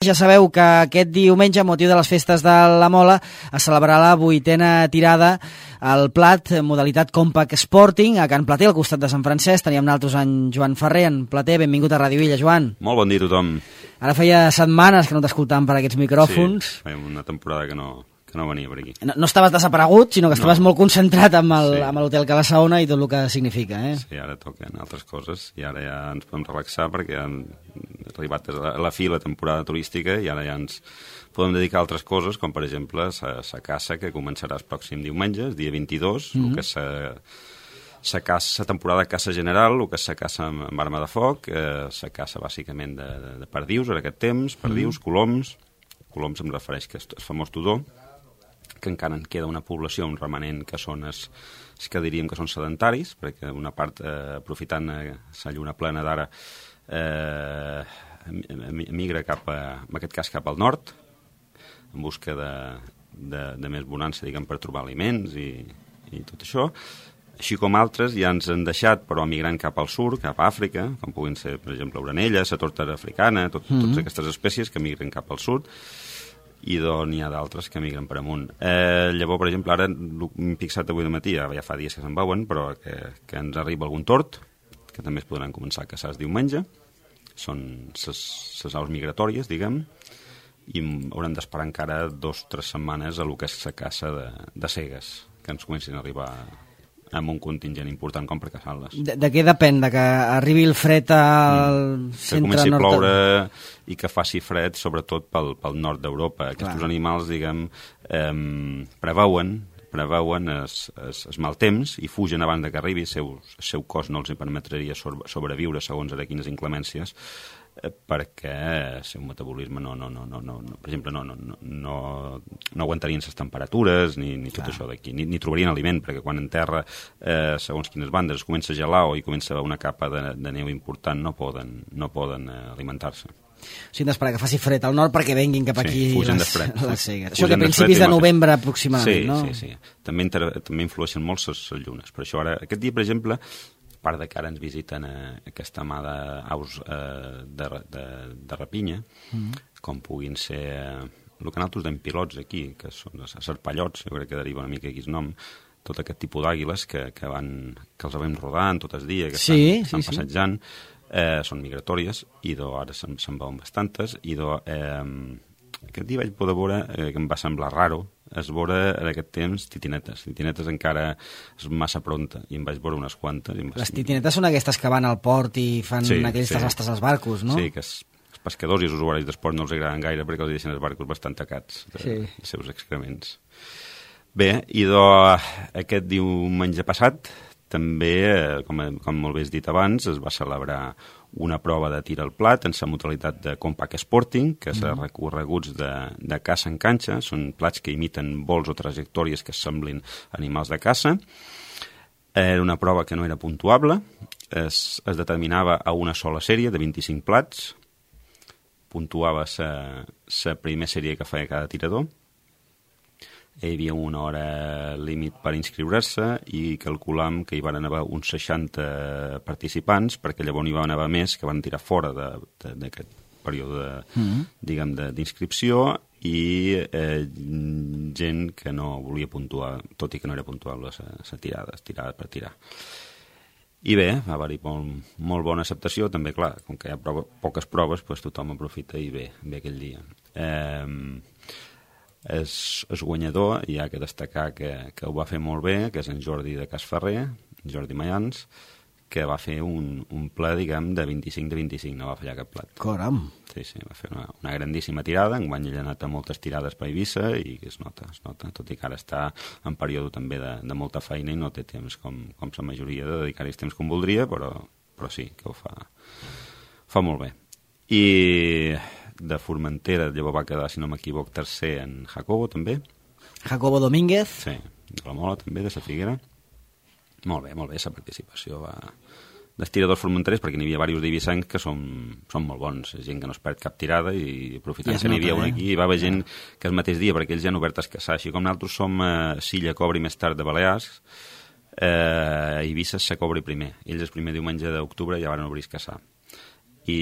Ja sabeu que aquest diumenge, a motiu de les festes de la Mola, es celebrarà la 8a tirada al Plat, modalitat Compact Sporting, a Can Plater, al costat de Sant Francesc. Teníem nosaltres en Joan Ferrer, en Plater. Benvingut a Ràdio Illa, Joan. Molt bon dia a tothom. Ara feia setmanes que no t'escoltàvem per aquests micròfons. Sí, feia una temporada que no venia per aquí. No estaves desaparegut, sinó que estaves molt concentrat amb l'Hotel Cala Saona i tot el que significa, eh? Sí, ara toquen altres coses i ara ja ens podem relaxar perquè han arribat a la fi la temporada turística i ara ja ens podem dedicar a altres coses, com per exemple la caça, que començarà el pròxim diumenge, el dia 22, el que la temporada de caça general, el que és la caça amb arma de foc, la caça bàsicament de perdius en aquest temps, perdius, coloms em refereix que és el famós tudó, que encara en queda una població, un remanent, que són els que diríem que són sedentaris, perquè una part, aprofitant la lluna plena d'ara, migra en aquest cas cap al nord, en busca de més bonança, diguem, per trobar aliments i tot això. Així com altres ja ens han deixat, però migrant cap al sud, cap a Àfrica, com puguin ser, per exemple, l'orenella, la tortera africana, totes aquestes espècies que migren cap al sud, i n'hi ha d'altres que migren per amunt. Llavors, per exemple, ara m'he fixat avui de matí, ja fa dies que se'n veuen, però que ens arriba algun tort, que també es podran començar a caçar el diumenge. Són les aus migratòries, diguem, i haurem d'esperar encara 2 o 3 setmanes a lo que és la caça de cegues, que ens comencin a arribar amb un contingent important com per caçar-les. De què depèn? De que arribi el fred al centre nord? Que comenci a ploure i que faci fred, sobretot pel nord d'Europa. Aquests animals, diguem, preveuen el mal temps i fugen abans de que arribi. El seu cos no els permetria sobreviure segons ara quines inclemències, perquè el seu metabolisme per exemple, no aguantarien les temperatures ni tot això d'aquí, ni trobarien aliment, perquè quan en terra, segons quines bandes, es comença a gelar o hi comença una capa de neu important, no poden alimentar-se. O sigui, d'esperar que faci fred al nord perquè venguin cap aquí les cegues. Això que a principis de novembre aproximadament, no? Sí. També influeixen molt les llunes. Per això ara, aquest dia, per exemple, a part de que ara ens visiten aquesta mà d'aus de rapinya, com puguin ser el que nosaltres dèiem pilots aquí, que són els serpallots, jo crec que deriva una mica aquí el nom, tot aquest tipus d'àguiles que els vam rodant tot el dia, que estan passejant, són migratòries, i ara se'n veuen bastantes, i aquest dia vaig poder veure, que em va semblar raro, es veure en aquest temps titinetes. Titinetes encara és massa pronta, i em vaig veure unes quantes. Les titinetes són aquestes que van al port i fan aquells desastres als barcos, no? Sí, que els pescadors i els usuaris d'esport no els agraden gaire perquè els deixen els barcos bastant tacats dels seus excrements. Bé, i aquest diumenge passat també, com molt bé has dit abans, es va celebrar una prova de tir al plat en la modalitat de Compact Sporting, que és recorreguts de caça en canxa, són plats que imiten vols o trajectòries que semblin animals de caça. Era una prova que no era puntuable, es determinava a una sola sèrie de 25 plats, puntuava la primera sèrie que feia cada tirador. Hi havia una hora límit per inscriure-se i calculam que hi van haver uns 60 participants, perquè llavors n'hi van haver més que van tirar fora d'aquest període d'inscripció i gent que no volia puntuar, tot i que no era puntuable la tirada per tirar. I bé, va haver-hi molt bona acceptació, també, clar, com que hi ha poques proves, tothom aprofita i ve aquell dia. El guanyador, hi ha que destacar que ho va fer molt bé, que és en Jordi de Casferrer, Jordi Mayans, que va fer un pla, diguem, de 25, no va fallar cap plat. Caram! Sí, va fer una grandíssima tirada, enguany ell ha anat a moltes tirades per Eivissa i es nota, tot i que ara està en període també de molta feina i no té temps com la majoria de dedicar-hi temps com voldria, però sí, que ho fa molt bé. I de Formentera, llavors va quedar, si no m'equivoc, tercer en Jacobo, també. Jacobo Domínguez. Sí, de la Mola, també, de la Figuera. Molt bé, la participació dels tiradors formenterers, perquè n'hi havia diversos d'eivissencs que són molt bons, gent que no es perd cap tirada i aprofitant que n'hi havia un aquí, hi va haver gent que el mateix dia, perquè ells ja han obert a caçar, així com nosaltres som Silla, Cobra i més tard de Balears, a Eivissa se cobri primer. Ells el primer diumenge d'octubre ja van obrir a caçar. i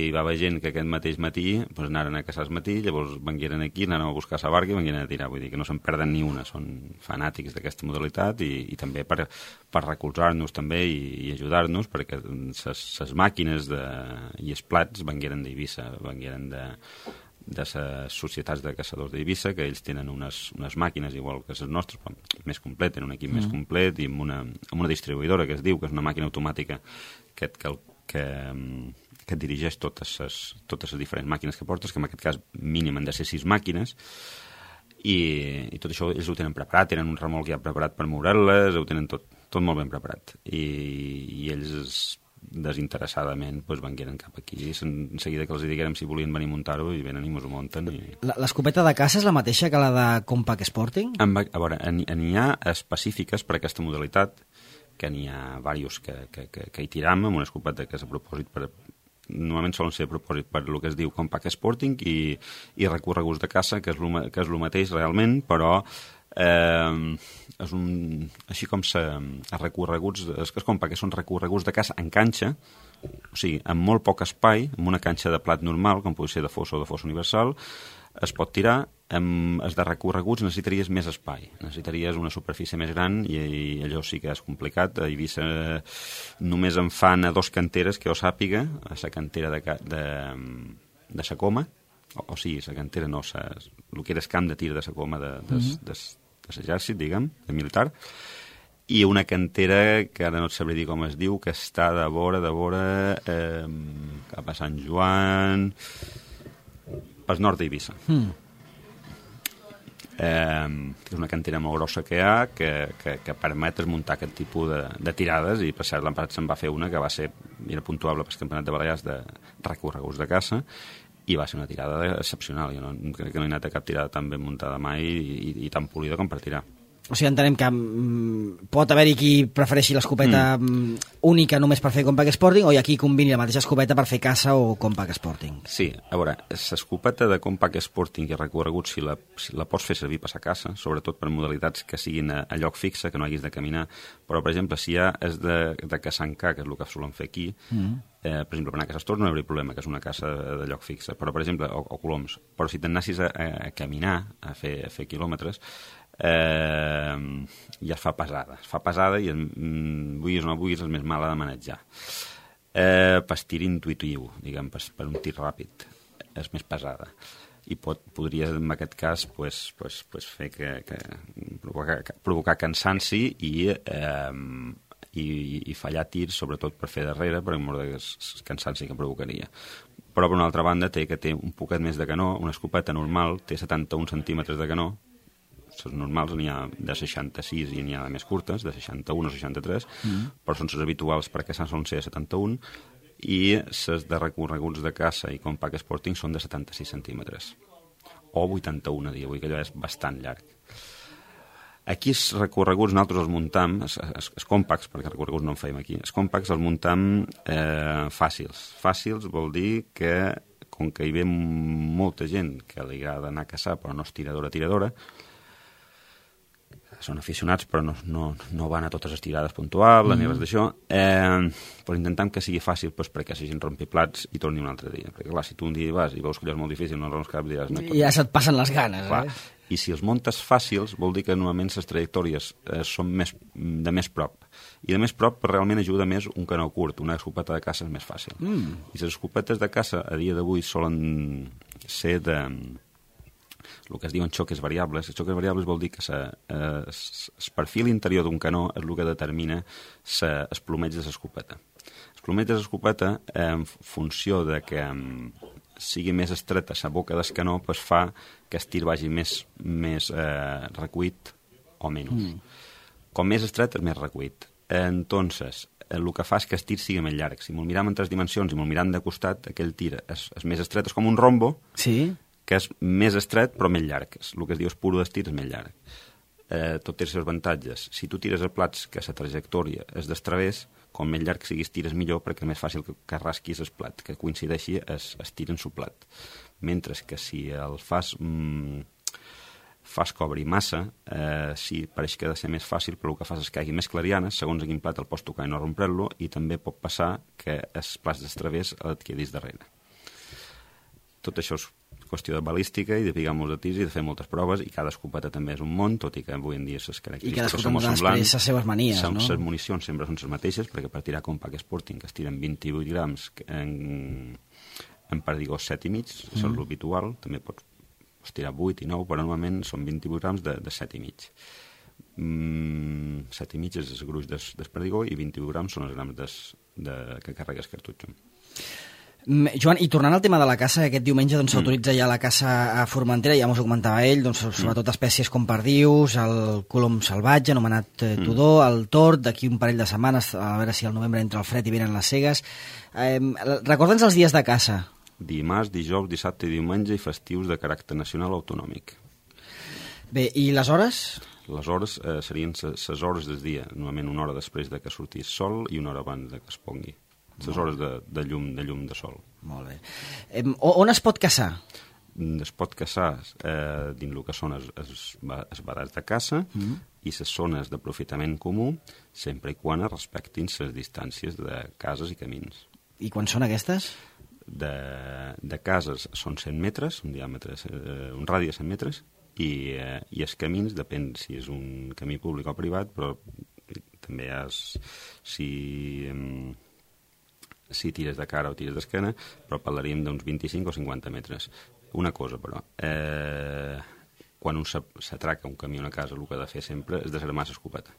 hi va haver gent que aquest mateix matí doncs anaren a caçar al matí, llavors vengueren aquí, anaren a buscar la barca i vengueren a tirar, vull dir que no se'n perden ni una, són fanàtics d'aquesta modalitat i també per recolzar-nos també i ajudar-nos, perquè les màquines i els plats vengueren d'Eivissa, vengueren de les societats de caçadors d'Eivissa, que ells tenen unes màquines igual que les nostres, però més complet, tenen un equip més complet i amb una distribuïdora que es diu, que és una màquina automàtica que et dirigeix totes les diferents màquines que portes, que en aquest cas mínim han de ser 6 màquines, i tot això ells ho tenen preparat, tenen un remolc ja preparat per moure-les, ho tenen tot molt ben preparat. I ells desinteressadament vengueren cap aquí, en seguida que els diguérem si volien venir a muntar-ho, i venen i mos ho munten. L'escopeta de caça és la mateixa que la de Compact Sporting? A veure, n'hi ha específiques per aquesta modalitat, que n'hi ha diversos que hi tiram amb una escopeta que és a propòsit normalment solen ser a propòsit per el que es diu Compact Sporting i recorreguts de caça, que és el mateix realment, però així com els recorreguts, és compact, que són recorreguts de caça en canxa, o sigui, amb molt poc espai, amb una canxa de plat normal, com pot ser de fossa o de fossa universal, es pot tirar. Amb els de recorreguts necessitaries més espai, necessitaries una superfície més gran i allò sí que és complicat. A Eivissa només en fan a 2 canteres que jo sàpiga, a la cantera de sa Coma, o sigui, la cantera no, el que era el camp de tir de sa Coma de l'exèrcit, diguem, de militar, i una cantera que ara no et sabré dir com es diu, que està de vora cap a Sant Joan, pel nord d'Eivissa. És una cantera molt grossa que hi ha, que permet muntar aquest tipus de tirades, i per cert l'any passat se'n va fer una que era puntuable pel Campionat de Balears de recorreguts de caça, i va ser una tirada excepcional. Jo crec que no he anat a cap tirada tan ben muntada mai i tan polida com per tirar. O sigui, entenem que pot haver-hi qui prefereixi l'escopeta única només per fer Compact Sporting, o hi ha qui combini la mateixa escopeta per fer caça o Compact Sporting. Sí, a veure, l'escopeta de Compact Sporting i recorregut, si la pots fer servir per a caça, sobretot per modalitats que siguin a lloc fixe, que no haguis de caminar, però, per exemple, si ja és de caçar en ca, que és el que solen fer aquí, per exemple, per anar a caçar Stors no hi hauria problema, que és una caça de lloc fixe, però, per exemple, o coloms, però si t'anassis a caminar, a fer quilòmetres, ja es fa pesada i vulguis o no vulguis és més mala de manejar. Per tir intuitiu, diguem, per un tir ràpid és més pesada i podria en aquest cas fer provocar cansanci i fallar tirs, sobretot per fer darrere, per mort de cansanci que provocaria. Però per una altra banda té un poquet més de canó, una escopeta normal té 71 centímetres de canó. Les normals n'hi ha de 66 i n'hi ha de més curtes, de 61 o 63, però són les habituals perquè solen ser de 71, i les de recorreguts de caça i Compact Sporting són de 76 centímetres, o 81 a dia, vull dir que allò és bastant llarg. Aquí els recorreguts nosaltres els muntam, els compacts, perquè recorreguts no en feim aquí, els compacts els muntam fàcils. Fàcils vol dir que, com que hi ve molta gent que li agrada anar a caçar però no és tiradora, són aficionats però no van a totes les tirades puntuables ni res d'això, però intentem que sigui fàcil perquè la gent rompi plats i torni un altre dia, perquè clar, si tu un dia vas i veus que allò és molt difícil, no arrons cap, diràs ja se't passen les ganes, clar. I si els muntes fàcils vol dir que normalment les trajectòries són de més prop, i de més prop realment ajuda més un canó curt, una escopeta de caça és més fàcil, i les escopetes de caça a dia d'avui solen ser el que es diuen xoques variables. Els xoques variables vol dir que el perfil interior d'un canó és el que determina el plomeig de l'escopeta. El plomeig de l'escopeta, en funció de que sigui més estreta la boca del canó, fa que el tir vagi més recuit o menys. Com més estret és més recuit. Entonces, el que fa és que el tir sigui més llarg. Si me'l miram en 3 dimensions i me'l miram de costat, aquell tir és més estret, és com un rombo, sí, que és més estret però més llarg. El que es diu espuro d'estir és més llarg. Tot té els seus avantatges. Si tu tires a plats que la trajectòria és d'estravés, com més llarg siguis tires millor, perquè és més fàcil que rasquis el plat, que coincideixi es tir en su plat. Mentre que si el fas fas que obri massa, sí, pareix que ha de ser més fàcil, però el que fas és que hi hagi més clarianes, segons a quin plat el pots tocar i no rompre-lo, i també pot passar que els plats d'estravés et quedis darrere. Tot això és qüestió de balística i de picar molts de tirs i de fer moltes proves, i cada escopeta també és un món, tot i que avui en dia les característiques són molt semblants. I les seves manies, no? Les municions sempre són les mateixes, perquè per tirar Compact Sporting, que es tiren 28 grams en perdigós 7,5, és l'habitual, també pots tirar 8 i 9, però normalment són 28 grams de 7,5. 7,5 és el gruix del perdigó i 28 grams són els grams que carregues cartutxo. Joan, i tornant al tema de la caça, aquest diumenge s'autoritza ja la caça a Formentera, ja m'ho comentava ell, sobretot espècies com perdius, el colom salvatge, anomenat tudó, el tord, d'aquí un parell de setmanes, a veure si al novembre entra el fred i venen les cegues. Recorda'ns els dies de caça. Dimarts, dijous, dissabte i diumenge, i festius de caràcter nacional autonòmic. Bé, i les hores? Les hores serien les hores del dia, normalment una hora després de que sortís sol i una hora abans de que es pongui. Les hores de llum de sol. Molt bé. On es pot caçar? Es pot caçar dins el que són els badats de caça i les zones d'aprofitament comú, sempre i quan es respectin les distàncies de cases i camins. I quan són aquestes? De cases són 100 metres, un radi de 100 metres, i els camins, depèn si és un camí públic o privat, però també si tires de cara o tires d'esquena, però parlaríem d'uns 25 o 50 metres. Una cosa, però, quan s'atraca un camí o una casa, el que ha de fer sempre és desarmar l'escopeta.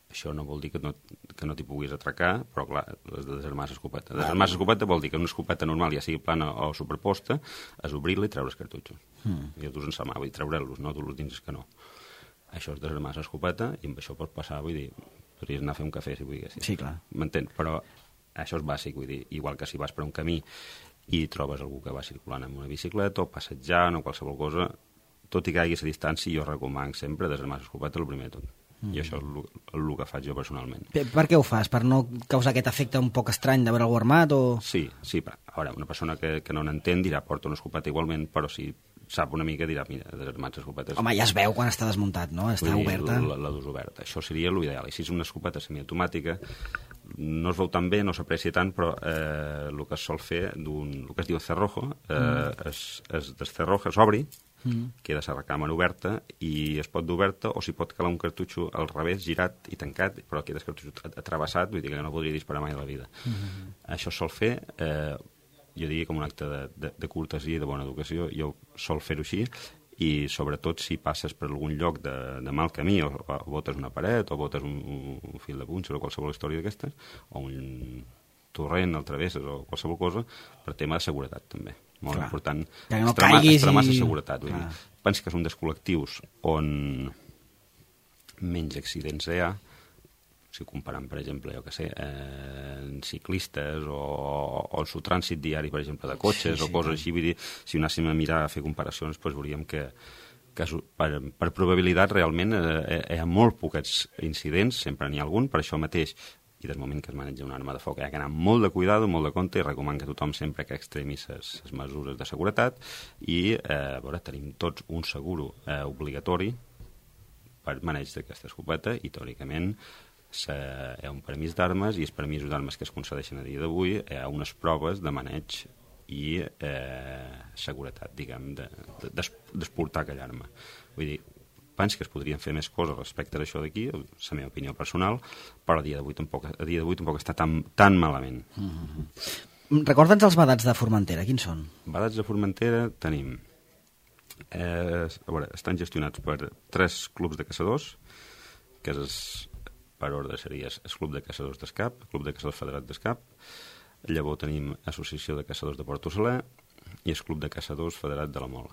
Això no vol dir que no t'hi puguis atracar, però clar, has de desarmar l'escopeta. Desarmar l'escopeta vol dir que una escopeta normal, ja sigui plana o superposta, és obrir-la i treure els cartutxos. I els dus en sa mà, vull dir, treure-los, no dur-los dins el canó. Això és desarmar l'escopeta i amb això pots passar, vull dir, podries anar a fer un cafè si volguessis. Sí, clar. M'entens? Però això és bàsic, vull dir, igual que si vas per un camí i trobes algú que va circulant amb una bicicleta o passejant o qualsevol cosa, tot i que hi hagi la distància, jo recomano sempre desarmar l'escopeta el primer de tot. I això és el que faig jo personalment. Per què ho fas? Per no causar aquest efecte un poc estrany de veure algú armat? Sí, a veure, una persona que no n'entén dirà porta una escopeta igualment, però si sap una mica dirà, mira, desarmats escopetes... Home, ja es veu quan està desmuntat, no? Està oberta. La dus oberta. Això seria l'ideal. I si és una escopeta semiautomàtica, no es veu tan bé, no s'aprecia tant, però el que es sol fer, el que es diu cerrojo, es descerroja, s'obri, queda la recàmera oberta i es pot dur oberta o s'hi pot calar un cartutxo al revés, girat i tancat, però queda el cartutxo atrevessat, vull dir que no podria disparar mai a la vida. Això sol fer, jo diria com un acte de cortesia i de bona educació, jo sol fer-ho així, i sobretot si passes per algun lloc de mal camí o botes una paret o botes un fil de punxa o qualsevol història d'aquestes, o un torrent al travesses o qualsevol cosa, per tema de seguretat també. Molt important. Que no caiguis extremar la seguretat. Penso que és un dels col·lectius on menys accidents hi ha, si comparant, per exemple, jo què sé, ciclistes o el trànsit diari, per exemple, de cotxes o coses així. Vull dir, si anéssim a mirar, a fer comparacions, doncs veuríem que per probabilitat realment hi ha molt pocs incidents, sempre n'hi ha algun, per això mateix, i des del moment que es maneja una arma de foc hi ha que anar molt de cuidado, molt de compte, i recomano que tothom sempre que extremi les mesures de seguretat i tenim tots un seguro obligatori per maneig d'aquesta escopeta i teòricament hi ha un permís d'armes i els permisos d'armes que es concedeixen a dia d'avui hi ha unes proves de maneig i seguretat, diguem, d'esportar aquella arma. Vull dir, penso que es podrien fer més coses respecte a això d'aquí, la meva opinió personal, però a dia d'avui tampoc està tan malament. Recorda'ns els badats de Formentera, quins són? Badats de Formentera tenim... estan gestionats per 3 clubs de caçadors, que per ordre seria el Club de Caçadors d'Escap, el Club de Caçadors Federat d'Escap, llavors tenim Associació de Caçadors de Port Saler i el Club de Caçadors Federat de la Mola.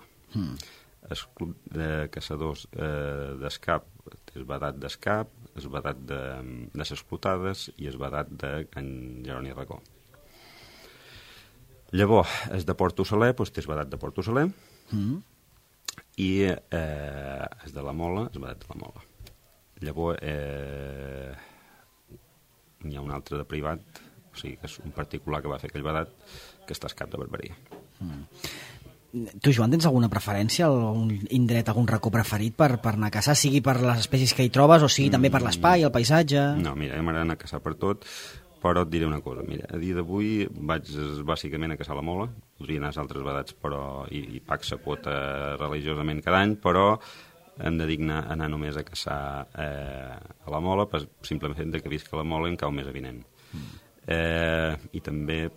El Club de Caçadors d'Escap és badat d'Escap, és badat de les Explotades i és badat de Can Jeroni Racó. Llavors, és de Port Saler, doncs és badat de Port Saler i és de la Mola, és badat de la Mola. Llavors, n'hi ha un altre de privat, o sigui que és un particular que va fer aquell badat, que està a Escap de Barberia. Tu, Joan, tens alguna preferència, algun indret, algun racó preferit per anar a caçar, sigui per les espècies que hi trobes o sigui també per l'espai, el paisatge? No, mira, m'agrada anar a caçar per tot, però et diré una cosa. Mira, a dia d'avui vaig bàsicament a caçar la mola, podria anar a altres vedats i pac s'apota religiosament cada any, però em dedico a anar només a caçar a la mola, simplement que visc a la mola em cau més avinent. I també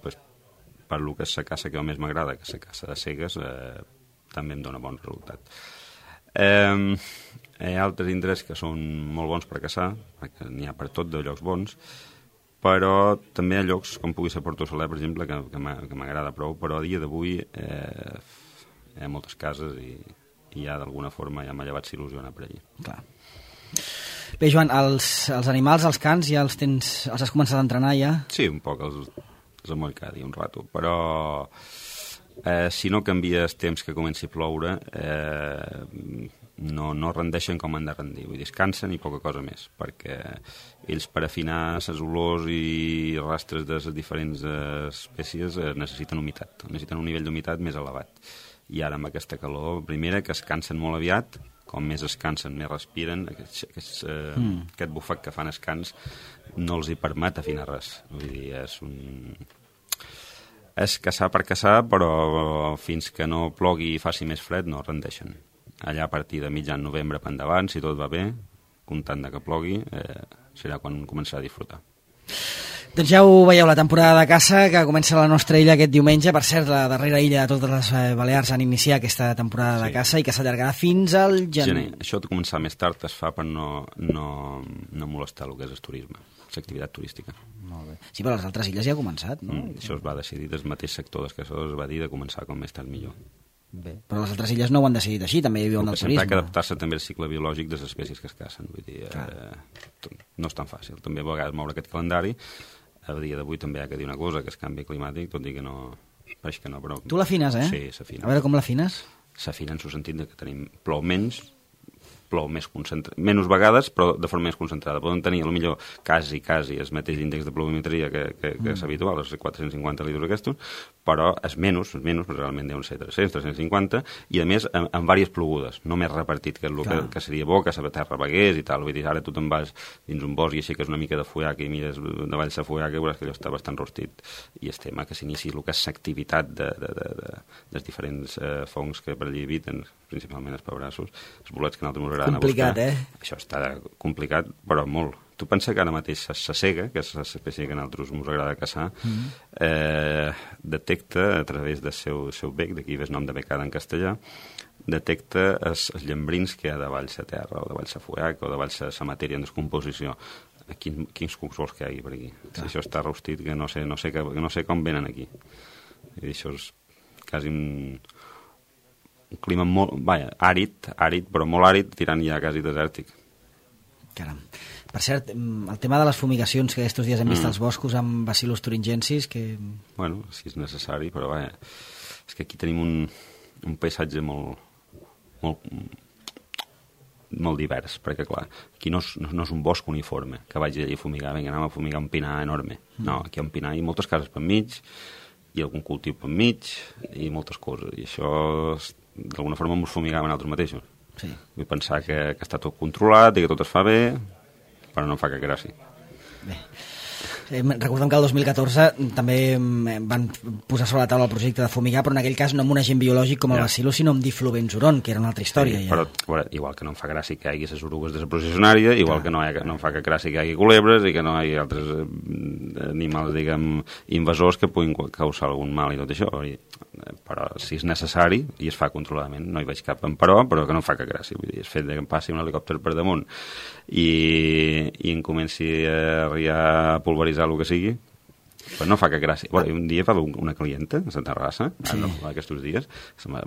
per lo que és la caça que més m'agrada, que és la caça de cegues, també em dona bon resultat. Hi ha altres indrets que són molt bons per caçar, perquè n'hi ha per tot de llocs bons, però també hi ha llocs com pugui ser Porto Soler, per exemple, que m'agrada prou, però a dia d'avui hi ha moltes cases i ja d'alguna forma ja m'ha llevat s'il·lusiona per allí. Clar. Bé, Joan, els animals, els cans, ja els has començat a entrenar ja? Sí, un poc, els amoll cada dia un rato, però si no canvies temps que comenci a ploure no rendeixen com han de rendir, vull dir, es cansen i poca cosa més, perquè ells per afinar les olors i rastres de les diferents espècies necessiten humitat, necessiten un nivell d'humitat més elevat, i ara amb aquesta calor, primera, que es cansen molt aviat, com més es cansen, més respiren, aquest bufec que fan els cans no els hi permet afinar res. Vull dir, és caçar per caçar, però fins que no plogui i faci més fred no rendeixen. Allà a partir de mitjan novembre per endavant, si tot va bé, comptant que plogui, serà quan començarà a disfrutar. Doncs ja ho veieu, la temporada de caça que comença a la nostra illa aquest diumenge. Per cert, la darrera illa de totes les Balears han iniciat aquesta temporada de caça i que s'allargarà fins al gener. Això de començar més tard es fa per no molestar el que és el turisme, l'activitat turística. Molt bé. Sí, però a les altres illes ja ha començat, no? Això es va decidir del mateix sector dels caçadors, es va dir de començar com més tard millor. Bé. Però les altres illes no ho han decidit així, també hi havia un del turisme. Sempre ha d'adaptar-se també al cicle biològic de les espècies que es cacen, vull dir, no és tan fàcil. També a vegades moure aquest calendari. A dia d'avui també hi ha que dir una cosa, que és canvi climàtic, tot i que no... Pareix que no, però... Tu l'afines, eh? Sí, s'afina. A veure com l'afines? S'afina en el sentit que plou menys, plou més menys vegades, però de forma més concentrada. Poden tenir, potser, quasi el mateix índex de pluviometria que és habitual, els 450 litres aquests, però és menys, però realment deuen ser 300, 350, i a més amb diverses plogudes, no més repartit, que és el que seria bo, que la terra vegués i tal. Vull dir, ara tu te'n vas dins un bosc i així que és una mica de fuiac i mires davall la fuiac i veuràs que allò està bastant rostit. I el tema que s'inici el que és l'activitat dels diferents fongs que per allí eviten, principalment els pebrassos, els bolets que nosaltres m'agraden a buscar. Complicat, Això està complicat, però molt. Tu pensa que ara mateix la cega, que és l'espècie que a nosaltres ens agrada caçar, detecta a través del seu bec, d'aquí ve el nom de becada en castellà, detecta els llambrins que hi ha davall la terra, o davall la fuiac, o davall la matèria en descomposició. Quins cucs vols que hi hagi per aquí? Si això està rostit, que no sé com venen aquí. I això és quasi un clima molt, àrid, però molt àrid, tirant ja quasi desèrtic. Caram. Per cert, el tema de les fumigacions que aquests dies hem vist als boscos amb Bacillus thuringiensis, que... Bueno, si és necessari, però és que aquí tenim un paisatge molt divers, perquè clar, aquí no és un bosc uniforme, que vagi allà a fumigar, vinga, anem a fumigar un pinar enorme. No, aquí hi ha un pinar i moltes cases per mig, i algun cultiu per mig, i moltes coses, i això d'alguna forma ens fumigaven nosaltres mateixos. Sí. Vull pensar que està tot controlat i que tot es fa bé, però no em fa cap gràcia. Bé. Recordem que el 2014 també van posar sobre la taula el projecte de fumigar, però en aquell cas no amb un agent biològic com el bacillus, sinó amb diflubenzuron, que era una altra història. Sí, però bueno, igual que no em fa gràcia que hi hagi les orugues de la processionària, igual que no em fa cap gràcia que hi hagi culebres i que no hi hagi altres animals, diguem, invasors que puguin causar algun mal i tot això. Però si és necessari i es fa controladament, no hi veig cap però que no em fa cap gràcia. Vull dir, el fet que em passi un helicòpter per damunt i em comenci a arribar a pulveritzar el que sigui, però no fa cap gràcia. Bueno, un dia va haver una clienta a la terrassa, aquests dies,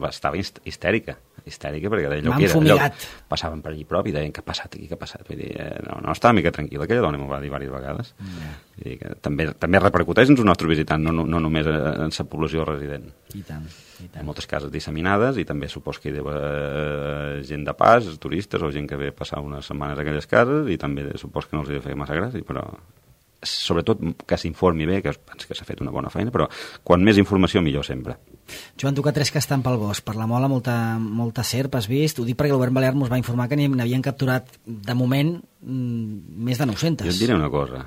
estava histèrica perquè deia allò passaven per allí prop i deien què ha passat aquí, què ha passat. Vull dir, no estava mica tranquil·la, aquella dona m'ho va dir diverses vegades. Vull dir que també repercuteix en els nostres visitants, no només en la població resident. I tant. Hi ha moltes cases disseminades i també supos que hi deu gent de pas, turistes o gent que ve a passar unes setmanes a aquelles cases i també supos que no els hi ha de fer massa gràcia, però sobretot que s'informi bé, que penso que s'ha fet una bona feina, però quan més informació millor sempre. Joan, tu que tres que estan pel bosc, per la Mola molta serp has vist, ho dic perquè el govern balear ens va informar que n'havien capturat de moment més de 900. Jo et diré una cosa,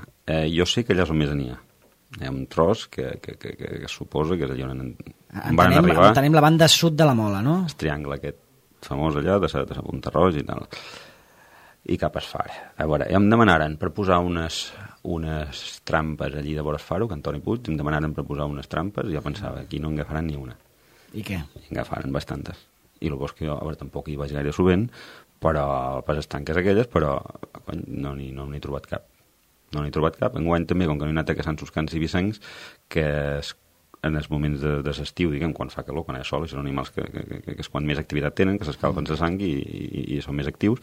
jo sé que allà és on més n'hi ha. Hi ha un tros que suposa que és allà on van arribar. Entenem la banda sud de la Mola, no? El triangle aquest famós allà de sa Punta-roja i tal, i cap a Esfar. A veure, em demanaren per posar unes trampes allí de vora Esfaro, que Antoni Puig, em demanaren per posar unes trampes, i jo pensava, aquí no en agafaran ni una. I què? I en agafaran bastantes. I el bosc jo, a veure, tampoc hi vaig gaire sovint, però pas estanques aquelles, però no n'he trobat cap. No n'he trobat cap. Enguany també, com que no he anat a caçar Suscans i Vicencs, que en els moments de l'estiu, diguem, quan fa calor, quan hi ha sol, i són animals que és quan més activitat tenen, que s'escalfen la sang i són més actius.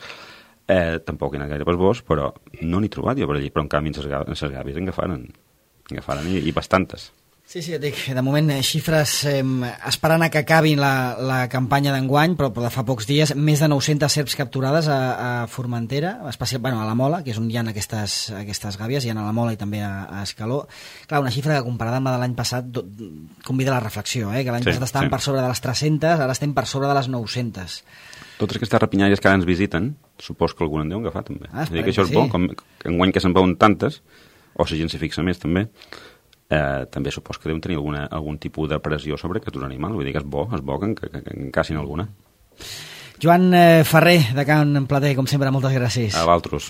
Tampoc he anat gaire pel bosc, però no n'he trobat jo per allí, però en canvi en les gàbies en agafaren i bastantes. Sí, et dic, de moment xifres esperant a que acabin la campanya d'enguany, però de fa pocs dies, més de 900 serps capturades a Formentera, especialment a la Mola, que és on hi ha aquestes gàbies, hi ha a la Mola i també a Escaló. Clar, una xifra que comparada amb la de l'any passat convida a la reflexió, que l'any passat estàvem per sobre de les 300, ara estem per sobre de les 900. Totes aquestes rapinyaires que ara ens visiten, supos que algun en deu agafar també. Que això és bo, com enguany que se'n veuen tantes, o la gent s'hi fixa més també, també supos que deuen tenir algun tipus de pressió sobre aquests animals. Vull dir que és bo que en cacin alguna. Joan Ferrer, de Can Plater, com sempre, moltes gràcies. A vosaltres.